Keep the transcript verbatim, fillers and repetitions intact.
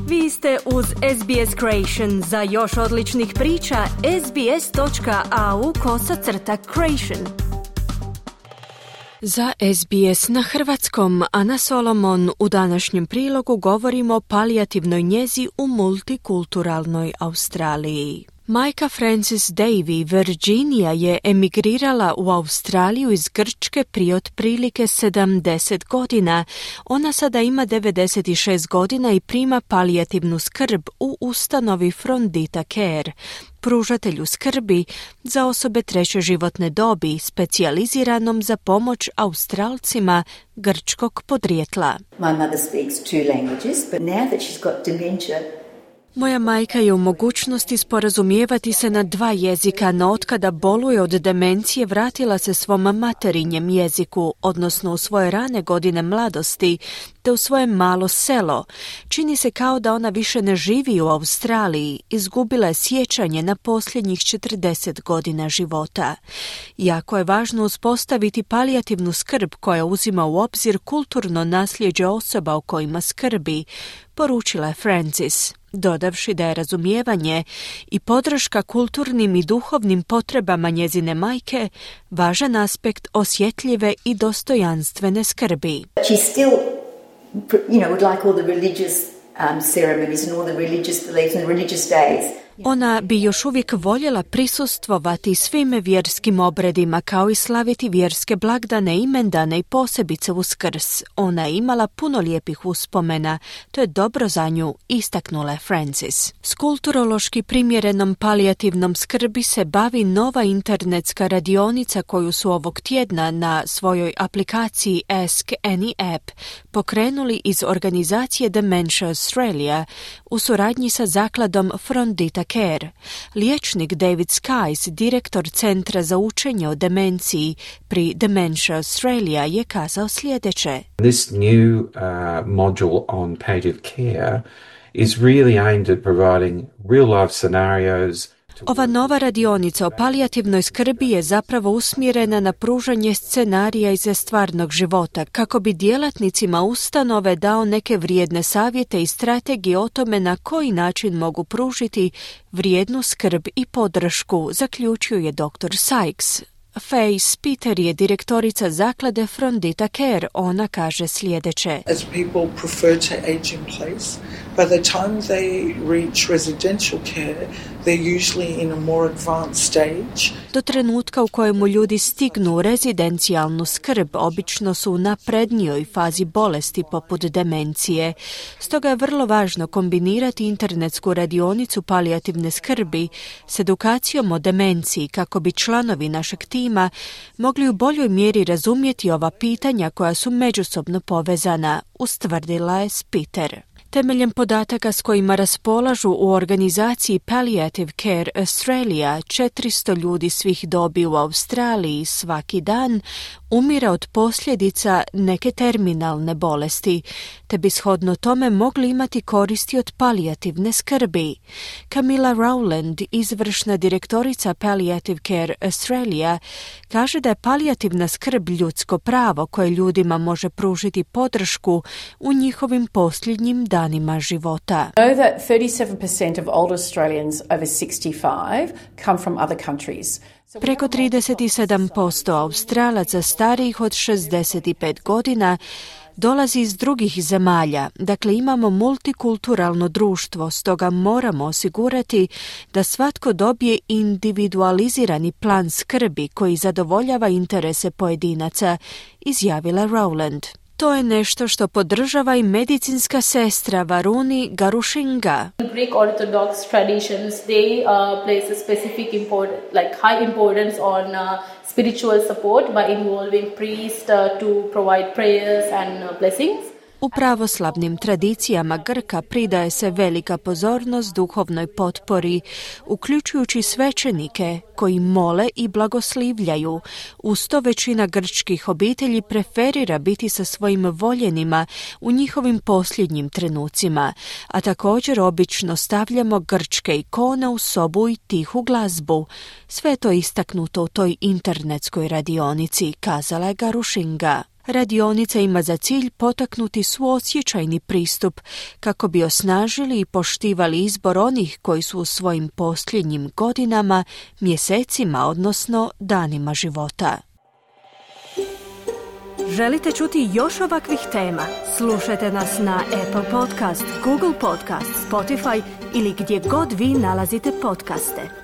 Vi ste uz S B S Creation. Za još odličnih priča, sbs.au kosacrta creation. Za S B S na hrvatskom, Ana Solomon, u današnjem prilogu govorimo o palijativnoj njezi u multikulturalnoj Australiji. Majka Frances Davy, Virginia, je emigrirala u Australiju iz Grčke prije otprilike sedamdeset godina. Ona sada ima devedeset šest godina i prima palijativnu skrb u ustanovi Frondita Care, pružatelju skrbi za osobe treće životne dobi, specijaliziranom za pomoć Australcima grčkog podrijetla. My mother speaks two languages, but now that she's got dementia, moja majka je u mogućnosti sporazumijevati se na dva jezika, no otkada boluje od demencije vratila se svom materinjem jeziku, odnosno u svoje rane godine mladosti, te u svoje malo selo. Čini se kao da ona više ne živi u Australiji, izgubila je sjećanje na posljednjih četrdeset godina života. Jako je važno uspostaviti palijativnu skrb koja uzima u obzir kulturno nasljeđe osoba o kojima skrbi, poručila je Francis, dodavši da je razumijevanje i podrška kulturnim i duhovnim potrebama njezine majke važan aspekt osjetljive i dostojanstvene skrbi. she still, you know, would like all the religious um, ceremonies and all the religious beliefs and the religious days. Ona bi još uvijek voljela prisustvovati svim vjerskim obredima, kao i slaviti vjerske blagdane, imendane i posebice Uskrs. Ona je imala puno lijepih uspomena, to je dobro za nju, istaknula je Francis. S kulturološki primjerenom palijativnom skrbi se bavi nova internetska radionica koju su ovog tjedna na svojoj aplikaciji Ask Any App pokrenuli iz organizacije Dementia Australia u suradnji sa zakladom Frondita Care. Liječnik David Skies, direktor Centra za učenje o demenciji pri Dementia Australia, je kazao sljedeće. This new uh, module on palliative care is really aimed at providing real life scenarios. Ova nova radionica o palijativnoj skrbi je zapravo usmjerena na pružanje scenarija iz stvarnog života, kako bi djelatnicima ustanove dao neke vrijedne savjete i strategije o tome na koji način mogu pružiti vrijednu skrb i podršku, zaključio je doktor Sykes. Faye Spiter je direktorica zaklade Frondita Care. Ona kaže sljedeće. As people prefer to age in place, by the time they reach residential care, they're usually in a more advanced stage. Do trenutka u kojemu ljudi stignu u rezidencijalnu skrb, obično su u naprednijoj fazi bolesti poput demencije. Stoga je vrlo važno kombinirati internetsku radionicu palijativne skrbi s edukacijom o demenciji kako bi članovi našeg tima mogli u boljoj mjeri razumjeti ova pitanja koja su međusobno povezana, ustvrdila je Spiter. Temeljem podataka s kojima raspolažu u organizaciji Palliative Care Australia, četiristo ljudi svih dobi u Australiji svaki dan umire od posljedica neke terminalne bolesti, te bi shodno tome mogli imati koristi od palijativne skrbi. Camilla Rowland, izvršna direktorica Palliative Care Australia, kaže da je palijativna skrb ljudsko pravo koje ljudima može pružiti podršku u njihovim posljednjim danima života. I know that thirty-seven percent of old Australians over sixty-five come from other countries. Preko trideset sedam posto Australaca starijih od šezdeset pet godina dolazi iz drugih zemalja. Dakle, imamo multikulturalno društvo, stoga moramo osigurati da svatko dobije individualizirani plan skrbi koji zadovoljava interese pojedinaca, izjavila Rowland. To je nešto što podržava i medicinska sestra Varuni Garushinga. Greek Orthodox traditions, they uh, place a specific import, like high importance on uh, spiritual support by involving priests uh, to provide prayers and uh, blessings. U pravoslavnim tradicijama Grka pridaje se velika pozornost duhovnoj potpori, uključujući svećenike koji mole i blagoslivljaju. Uz to većina grčkih obitelji preferira biti sa svojim voljenima u njihovim posljednjim trenucima, a također obično stavljamo grčke ikone u sobu i tihu glazbu. Sve je to istaknuto u toj internetskoj radionici, kazala je Garushinga. Radionica ima za cilj potaknuti suosjećajni pristup kako bi osnažili i poštivali izbor onih koji su u svojim posljednjim godinama, mjesecima, odnosno danima života. Želite čuti još ovakvih tema? Slušajte nas na Apple Podcast, Google Podcast, Spotify ili gdje god vi nalazite podcaste.